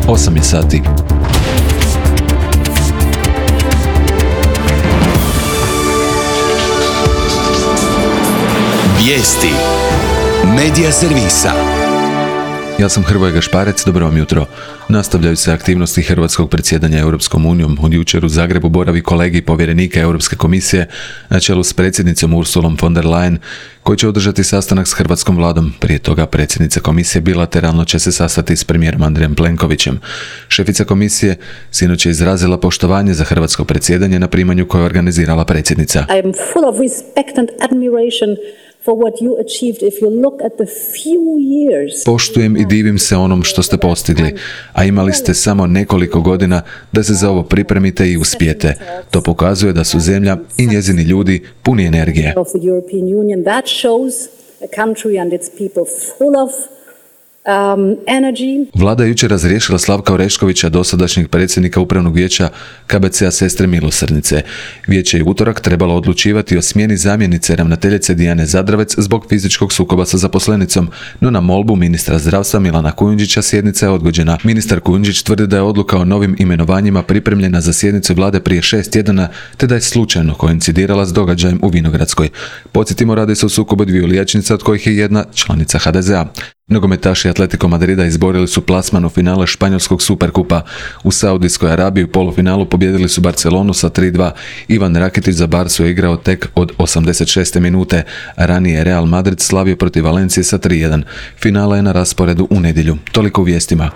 8 je sati. Vijesti Medija servisa. Ja sam Hrvoje Gašparec, dobro vam jutro. Nastavljaju se aktivnosti hrvatskog predsjedanja Europskom unijom. Od jučer u Zagrebu boravi kolegij povjerenika Europske komisije na čelu s predsjednicom Ursulom von der Leyen, koji će održati sastanak s hrvatskom vladom. Prije toga predsjednica komisije bilateralno će se sastati s premijerom Andrejem Plenkovićem. Šefica komisije sinoć je izrazila poštovanje za hrvatsko predsjedanje na primanju koje je organizirala predsjednica. I am full of respect and admiration for what you achieved if you look at the few years. Poštujem i divim se onom što ste postigli, a imali ste samo nekoliko godina da se za ovo pripremite i uspijete. To pokazuje da su zemlja i njezini ljudi puni energije. Of the European Union, that shows a country and its people full of energy. Vlada je jučer razriješila Slavka Oreškovića, dosadašnjeg predsjednika Upravnog vijeća KBC-a Sestre milosrdnice. Vijeće je utorak trebalo odlučivati o smjeni zamjenice ravnateljice Dijane Zadravec zbog fizičkog sukoba sa zaposlenicom, no na molbu ministra zdravstva Milana Kujundžića sjednica je odgođena. Ministar Kujundžić tvrdi da je odluka o novim imenovanjima pripremljena za sjednicu vlade prije 6 tjedana, te da je slučajno koincidirala s događajem u Vinogradskoj. Podsjetimo, radi se o sukobu dviju liječnica, od kojih je jedna članica HDZ-a. Nogometaši Atletico Madrida izborili su plasman u finale španjolskog superkupa. U Saudijskoj Arabiji u polufinalu pobijedili su Barcelonu sa 3:2. Ivan Rakitić za Barsu je igrao tek od 86. minute. Ranije je Real Madrid slavio protiv Valencije sa 3:1. Finala je na rasporedu u nedjelju. Toliko u vijestima.